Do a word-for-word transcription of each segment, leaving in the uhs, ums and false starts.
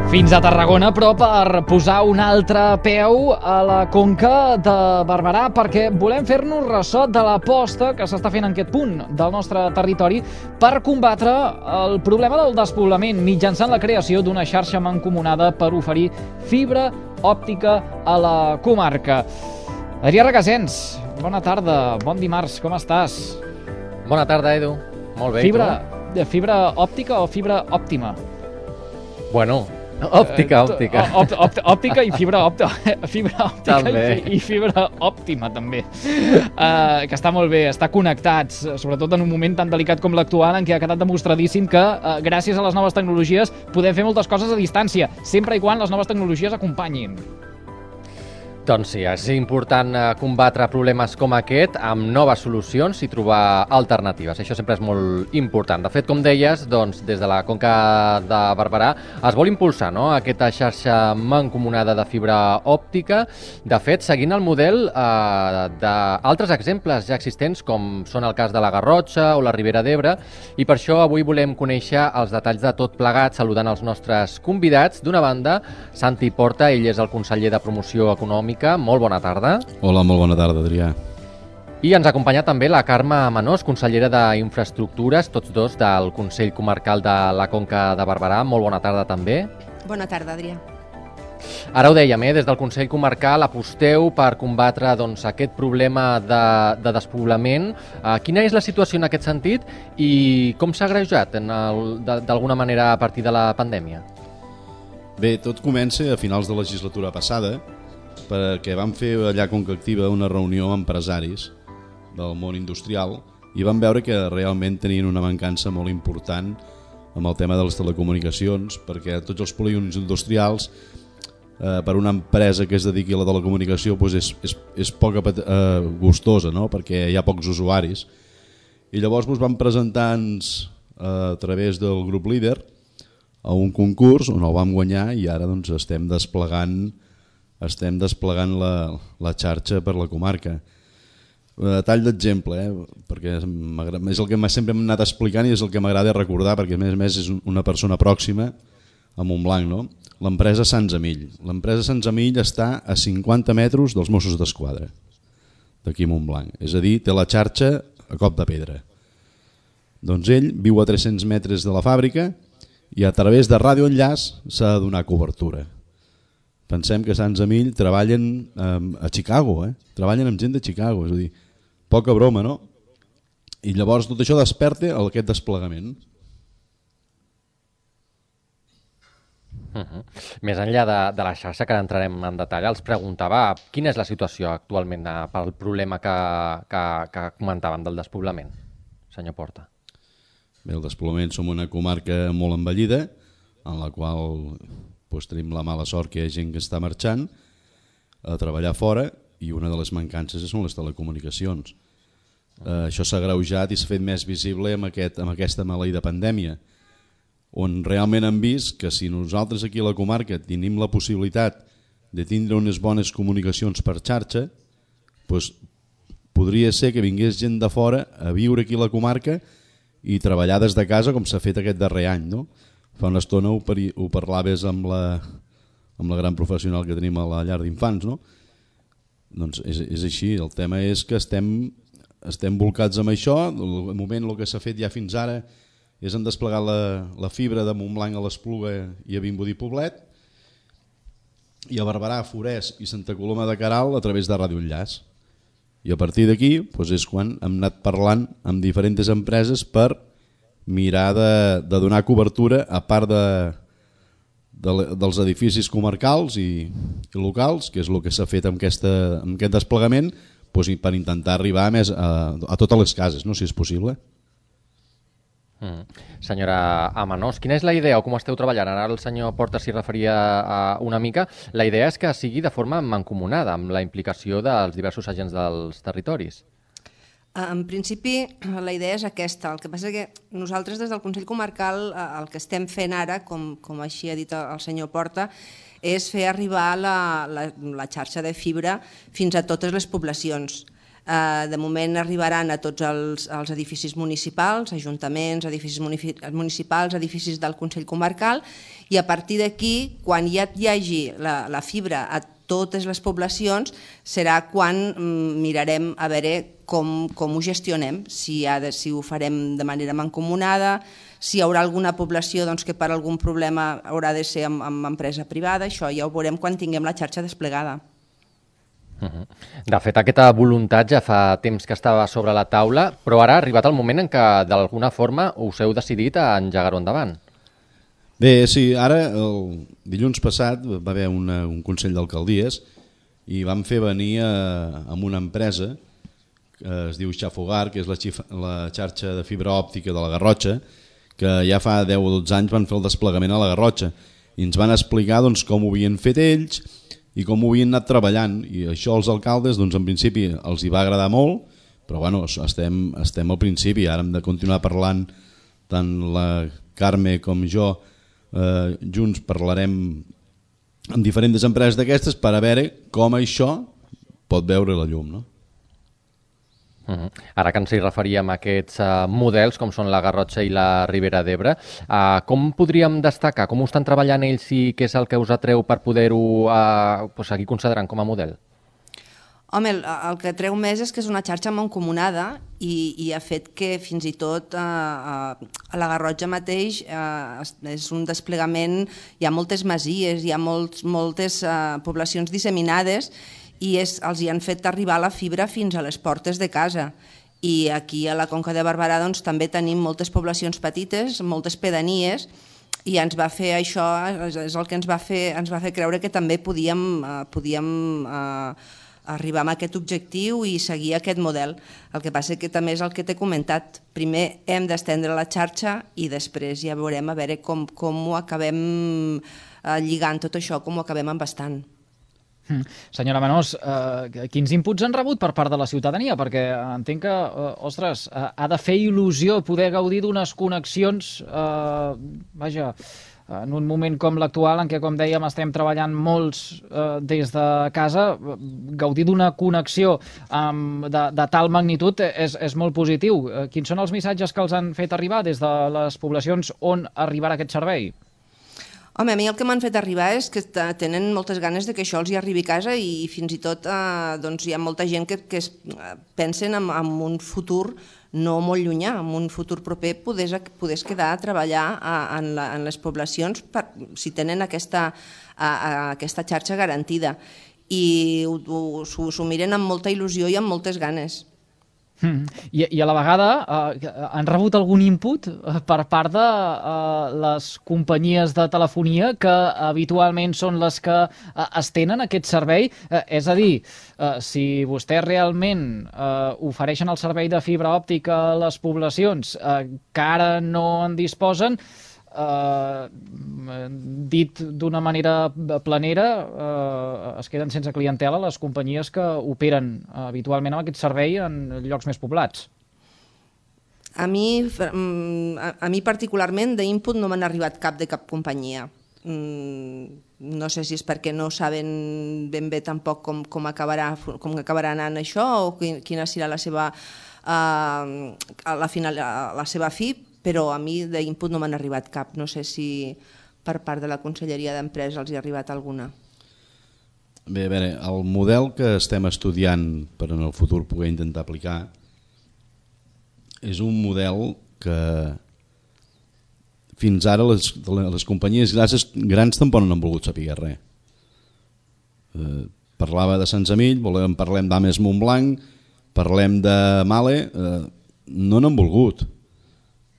Fins a Tarragona, però per posar un altre peu a la Conca de Barberà, perquè volem fer-nos ressò de l'aposta que s'està fent en aquest punt del nostre territori per combatre el problema del despoblament mitjançant la creació d'una xarxa mancomunada per oferir fibra òptica a la comarca. Adrià Regasens, bona tarda, bon dimarts, com estàs? Bona tarda, Edu. Molt bé, fibra, i tu? Fibra òptica o fibra òptima? Bueno... Òptica, òptica. Òpt, òpt, òptica i fibra òptica. Fibra òptica i, i fibra òptima, també. Uh, que està molt bé, estar connectats, sobretot en un moment tan delicat com l'actual, en què ha quedat demostradíssim que, uh, gràcies a les noves tecnologies, podem fer moltes coses a distància, sempre i quan les noves tecnologies acompanyin. Doncs sí, és important combatre problemes com aquest amb noves solucions i trobar alternatives. Això sempre és molt important. De fet, com deies, doncs, des de la Conca de Barberà es vol impulsar, no?, aquesta xarxa mancomunada de fibra òptica. De fet, seguint el model eh, d'altres exemples ja existents, com són el cas de la Garrotxa o la Ribera d'Ebre, i per això avui volem conèixer els detalls de tot plegat, saludant els nostres convidats. D'una banda, Santi Porta, ell és el conseller de Promoció Econòmica. Molt bona tarda. Hola, molt bona tarda, Adrià. I ens acompanya també la Carme Menós, consellera d'Infraestructures, tots dos del Consell Comarcal de la Conca de Barberà. Molt bona tarda també. Bona tarda, Adrià. Ara ho dèiem, eh? Des del Consell Comarcal aposteu per combatre doncs, aquest problema de, de despoblament. Uh, quina és la situació en aquest sentit i com s'ha agreujat d'alguna manera a partir de la pandèmia? Bé, tot comença a finals de legislatura passada, perquè vam fer allà a Conca Activa una reunió amb empresaris del món industrial i vam veure que realment tenien una mancança molt important amb el tema de les telecomunicacions, perquè tots els polígons industrials, eh, per una empresa que es dediqui a la telecomunicació, doncs és, és, és poc eh, gustosa, no?, perquè hi ha pocs usuaris. I llavors doncs, vam presentar-nos eh, a través del grup líder a un concurs on el vam guanyar i ara doncs, estem desplegant estem desplegant la, la xarxa per la comarca. A tall d'exemple, eh? perquè és el que sempre hem anat explicant i és el que m'agrada recordar, perquè a més a més és una persona pròxima a Montblanc, no? L'empresa Sants Amill. L'empresa Sants Amill està a cinquanta metres dels Mossos d'Esquadra, d'aquí a Montblanc. És a dir, té la xarxa a cop de pedra. Doncs ell viu a tres-cents metres de la fàbrica i a través de radioenllaç s'ha de donar cobertura. Pensem que Sants Amill treballen eh, a Chicago, eh? treballen amb gent de Chicago, és a dir, poca broma, no? I llavors tot això desperta aquest desplegament. Uh-huh. Més enllà de, de la xarxa, que entrarem en detall, els preguntava quina és la situació actualment eh, pel problema que, que, que comentàvem del despoblament, senyor Porta. Bé, el despoblament som una comarca molt envellida, en la qual doncs, tenim la mala sort que hi ha gent que està marxant a treballar fora i una de les mancances són les telecomunicacions. Eh, això s'ha agreujat i s'ha fet més visible amb, aquest, amb aquesta maleïda pandèmia, on realment hem vist que si nosaltres aquí a la comarca tenim la possibilitat de tindre unes bones comunicacions per xarxa, doncs podria ser que vingués gent de fora a viure aquí a la comarca i treballar des de casa com s'ha fet aquest darrer any, no? Fa una estona ho, pari, ho parlaves amb la, amb la gran professional que tenim a la llar d'infants, no? Doncs és, és així, el tema és que estem, estem volcats amb això. El moment el que s'ha fet ja fins ara és en desplegar la, la fibra de Montblanc a l'Espluga i a Vimbodí Poblet, i a Barberà, Forès i Santa Coloma de Queralt a través de radioenllaç. I a partir d'aquí doncs és quan hem anat parlant amb diferents empreses per mirar de, de donar cobertura a part de, de, dels edificis comarcals i, i locals, que és el que s'ha fet amb, aquesta, amb aquest desplegament, doncs, per intentar arribar més a, a totes les cases, no?, si és possible. Mm. Senyora Amenós, quina és la idea o com esteu treballant? Ara el senyor Porta s'hi referia a una mica. La idea és que sigui de forma mancomunada, amb la implicació dels diversos agents dels territoris. En principi, la idea és aquesta. El que passa és que nosaltres des del Consell Comarcal el que estem fent ara, com, com així ha dit el senyor Porta, és fer arribar la, la, la xarxa de fibra fins a totes les poblacions. Eh, de moment arribaran a tots els, els edificis municipals, ajuntaments, edificis municipals, edificis del Consell Comarcal, i a partir d'aquí, quan ja hi hagi la, la fibra a totes les poblacions, serà quan mm, mirarem a veure com, com ho gestionem, si, ha de, si ho farem de manera mancomunada, si hi haurà alguna població doncs, que per algun problema haurà de ser amb, amb empresa privada, això ja ho veurem quan tinguem la xarxa desplegada. De fet, aquesta voluntat ja fa temps que estava sobre la taula, però ara ha arribat el moment en què d'alguna forma us heu decidit a engegar-ho endavant. Bé, sí, ara el dilluns passat va haver una, un Consell d'Alcaldies i vam fer venir a, a una empresa que es diu Xafogar, que és la, xif, la xarxa de fibra òptica de la Garrotxa, que ja fa deu o dotze anys van fer el desplegament a la Garrotxa i ens van explicar doncs, com ho havien fet ells i com ho havien anat treballant, i això als alcaldes doncs, en principi els hi va agradar molt, però bueno, estem, estem al principi, ara hem de continuar parlant, tant la Carme com jo, eh, junts parlarem amb diferents empreses d'aquestes per a veure com això pot veure la llum, no? Uh-huh. Ara que ens hi referíem a aquests uh, models, com són la Garrotxa i la Ribera d'Ebre, uh, com podríem destacar? Com ho estan treballant ells i què és el que us atreu per poder-ho uh, pues, seguir considerant com a model? Home, el, el que treu més és que és una xarxa mancomunada i, i ha fet que fins i tot eh, a la Garrotxa mateix eh, és un desplegament, hi ha moltes masies, hi ha molts, moltes eh, poblacions disseminades i és, els hi han fet arribar la fibra fins a les portes de casa. I aquí a la Conca de Barberà doncs, també tenim moltes poblacions petites, moltes pedanies, i ens va fer això, és el que ens va fer, ens va fer creure que també podíem, eh, podíem eh, arribar a aquest objectiu i seguir aquest model. El que passa que també és el que t'he comentat. Primer hem d'estendre la xarxa i després ja veurem a veure com, com ho acabem eh, lligant tot això, com ho acabem embastant. Mm. Senyora Menós, eh, quins inputs han rebut per part de la ciutadania? Perquè entenc que, eh, ostres, eh, ha de fer il·lusió poder gaudir d'unes connexions, eh, vaja, en un moment com l'actual, en què, com dèiem, estem treballant molts eh, des de casa, gaudir d'una connexió um, de, de tal magnitud és, és molt positiu. Eh, quins són els missatges que els han fet arribar des de les poblacions on arribarà aquest servei? Home, a mi el que m'han fet arribar és que tenen moltes ganes de que això els hi arribi a casa i fins i tot eh, doncs hi ha molta gent que, que es, pensen en, en un futur no molt llunyà, en un futur proper podés, podés quedar a treballar a, en, la, en les poblacions per, si tenen aquesta, a, a, aquesta xarxa garantida i s'ho miren amb molta il·lusió i amb moltes ganes. Mm. I, I a la vegada eh, han rebut algun input per part de eh, les companyies de telefonia que habitualment són les que eh, estenen aquest servei? Eh, és a dir, eh, si vostès realment eh, ofereixen el servei de fibra òptica a les poblacions eh, que ara no en disposen, Uh, dit d'una manera planera, uh, es queden sense clientela les companyies que operen uh, habitualment amb aquest servei en llocs més poblats. A mi, a, a mi particularment d'input no m'han arribat cap de cap companyia. Mm, no sé si és perquè no saben ben bé tampoc com, com, acabarà, com acabarà anant això o quina serà la seva, uh, la, final, la seva fi, però a mi d'input no m'han arribat cap. No sé si per part de la Conselleria d'Empresa els hi ha arribat alguna. Bé, a veure, el model que estem estudiant per en el futur poder intentar aplicar és un model que fins ara les, les companyies grans, grans tampoc no han volgut saber res. Eh, parlava de Sant Emili, volem, parlem d'Ames Montblanc, parlem de Male, eh, no n'han volgut.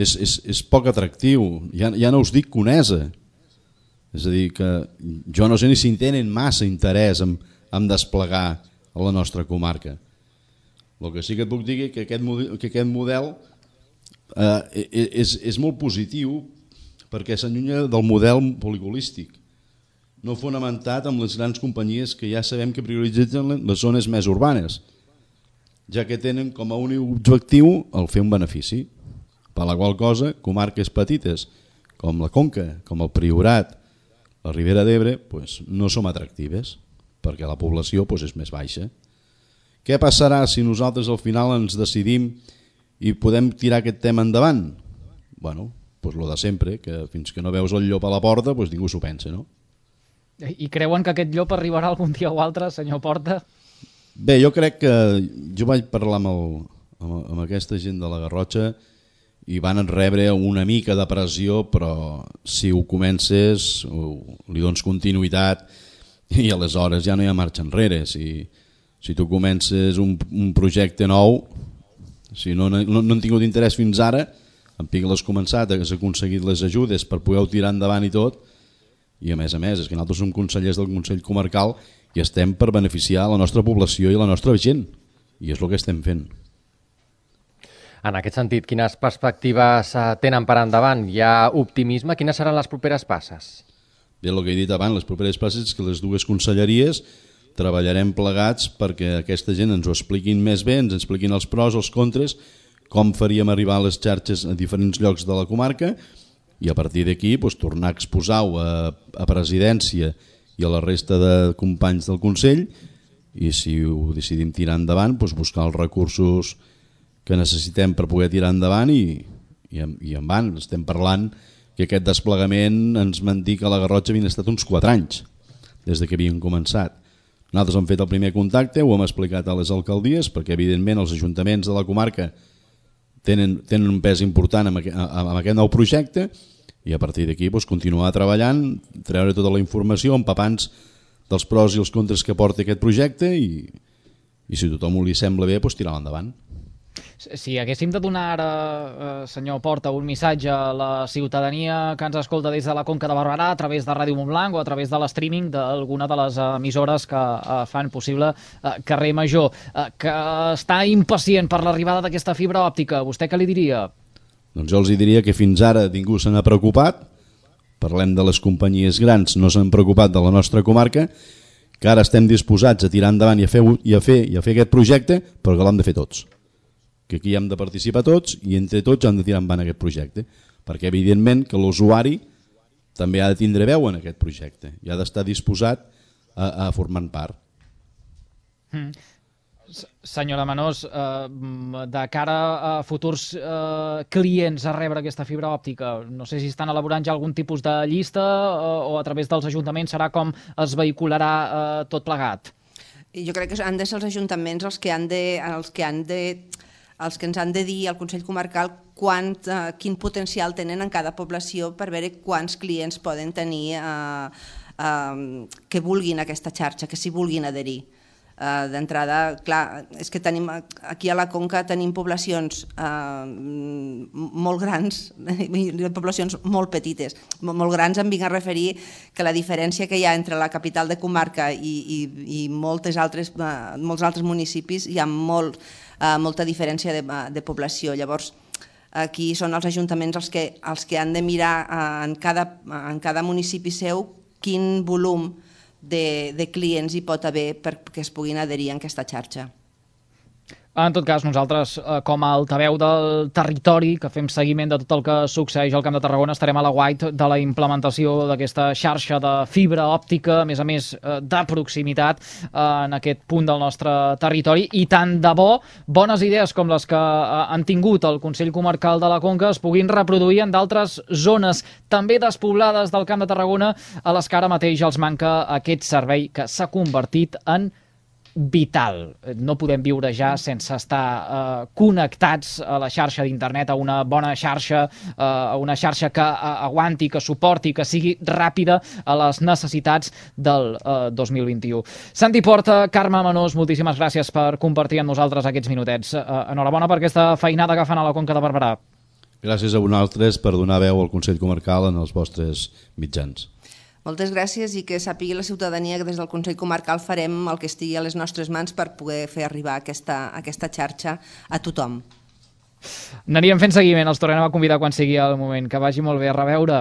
És, és, és poc atractiu, ja, ja no us dic conesa, és a dir que jo no sé ni si tenen massa interès en, en desplegar a la nostra comarca. El que sí que et puc dir és que aquest model, que aquest model eh, és, és molt positiu perquè s'allunya del model poligolístic, no fonamentat amb les grans companyies que ja sabem que prioritzen les zones més urbanes, ja que tenen com a únic objectiu el fer un benefici. Per la qual cosa, comarques petites com la Conca, com el Priorat, la Ribera d'Ebre, pues, no som atractives, perquè la població pues, és més baixa. què passarà si nosaltres al final ens decidim i podem tirar aquest tema endavant? Bueno, doncs lo de sempre, que fins que no veus el llop a la porta, doncs ningú s'ho pensa, no? I creuen que aquest llop arribarà algun dia o altre, senyor Porta? Bé, jo crec que jo vaig parlar amb, el, amb, amb aquesta gent de la Garrotxa i van rebre una mica de pressió, però si ho comences, li dones continuïtat i aleshores ja no hi ha marxa enrere. Si, si tu comences un, un projecte nou, si no, no, no han tingut interès fins ara, en Pic l'has començat, has aconseguit les ajudes per poder-ho tirar endavant i tot, i a més a més, és que nosaltres som consellers del Consell Comarcal i estem per beneficiar la nostra població i la nostra gent, i és el que estem fent. En aquest sentit, quines perspectives tenen per endavant? Hi ha optimisme? Quines seran les properes passes? Bé, el que he dit abans, les properes passes és que les dues conselleries treballarem plegats perquè aquesta gent ens ho expliquin més bé, ens expliquin els pros, els contres, com faríem arribar a les xarxes a diferents llocs de la comarca i a partir d'aquí doncs, tornar a exposar-ho a, a presidència i a la resta de companys del Consell i si ho decidim tirar endavant, doncs, buscar els recursos que necessitem per poder tirar endavant i, i, i en van. Estem parlant que aquest desplegament ens van dir que a la Garrotxa havien estat uns quatre anys des de que havien començat. Nosaltres hem fet el primer contacte, ho hem explicat a les alcaldies perquè evidentment els ajuntaments de la comarca tenen, tenen un pes important en aquest, en aquest nou projecte i a partir d'aquí doncs, continuar treballant, treure tota la informació, empapants dels pros i els contres que porta aquest projecte i, i si a tothom li sembla bé, doncs, tirar-lo endavant. Si haguéssim de donar ara, eh, senyor Porta, un missatge a la ciutadania que ens escolta des de la Conca de Barberà a través de Ràdio Montblanc o a través de l'streaming d'alguna de les emissores que eh, fan possible eh, Carrer Major, eh, que està impacient per l'arribada d'aquesta fibra òptica, vostè què li diria? Doncs jo els diria que fins ara ningú se n'ha preocupat, parlem de les companyies grans, no s'han preocupat de la nostra comarca, que ara estem disposats a tirar endavant i a fer, i a fer, i a fer aquest projecte, però que l'hem de fer tots. Que aquí hem de participar tots i entre tots hem de tirar endavant aquest projecte, perquè evidentment que l'usuari també ha de tindre veu en aquest projecte i ha d'estar disposat a, a formar part. Mm. Senyora Manós, eh, de cara a futurs eh, clients a rebre aquesta fibra òptica, no sé si estan elaborant ja algun tipus de llista eh, o a través dels ajuntaments serà com es vehicularà eh, tot plegat? Jo crec que han de ser els ajuntaments els que han de, els que han de els que ens han de dir al Consell Comarcal quant, eh, quin potencial tenen en cada població per veure quants clients poden tenir eh, eh, que vulguin aquesta xarxa, que s'hi vulguin adherir. Eh, D'entrada, clar, és que tenim, aquí a la Conca tenim poblacions eh, molt grans i poblacions molt petites. Molt grans em vinc a referir que la diferència que hi ha entre la capital de comarca i, i, i moltes altres, eh, molts altres municipis hi ha molt Uh, molta diferència de, de població. Llavors, aquí són els ajuntaments els que, els que han de mirar uh, en, cada, en cada municipi seu quin volum de, de clients hi pot haver perquè es puguin adherir a aquesta xarxa. En tot cas, nosaltres, eh, com a altaveu del territori, que fem seguiment de tot el que succeeix al Camp de Tarragona, estarem a la guait de la implementació d'aquesta xarxa de fibra òptica, a més a més eh, de proximitat eh, en aquest punt del nostre territori, i tant de bo, bones idees com les que eh, han tingut el Consell Comarcal de la Conca es puguin reproduir en d'altres zones també despoblades del Camp de Tarragona a les que ara mateix els manca aquest servei que s'ha convertit en vital. No podem viure ja sense estar eh, connectats a la xarxa d'internet, a una bona xarxa, eh, a una xarxa que eh, aguanti, que suporti, que sigui ràpida a les necessitats del eh, dos mil vint-i-u. Santi Porta, Carme Manós, moltíssimes gràcies per compartir amb nosaltres aquests minutets. Eh, enhorabona per aquesta feinada que fan a la Conca de Barberà. Gràcies a vosaltres per donar veu al Consell Comarcal en els vostres mitjans. Moltes gràcies i que sàpigui la ciutadania que des del Consell Comarcal farem el que estigui a les nostres mans per poder fer arribar aquesta, aquesta xarxa a tothom. N'aníem fent seguiment, els tornem a convidar quan sigui el moment. Que vagi molt bé, a reveure.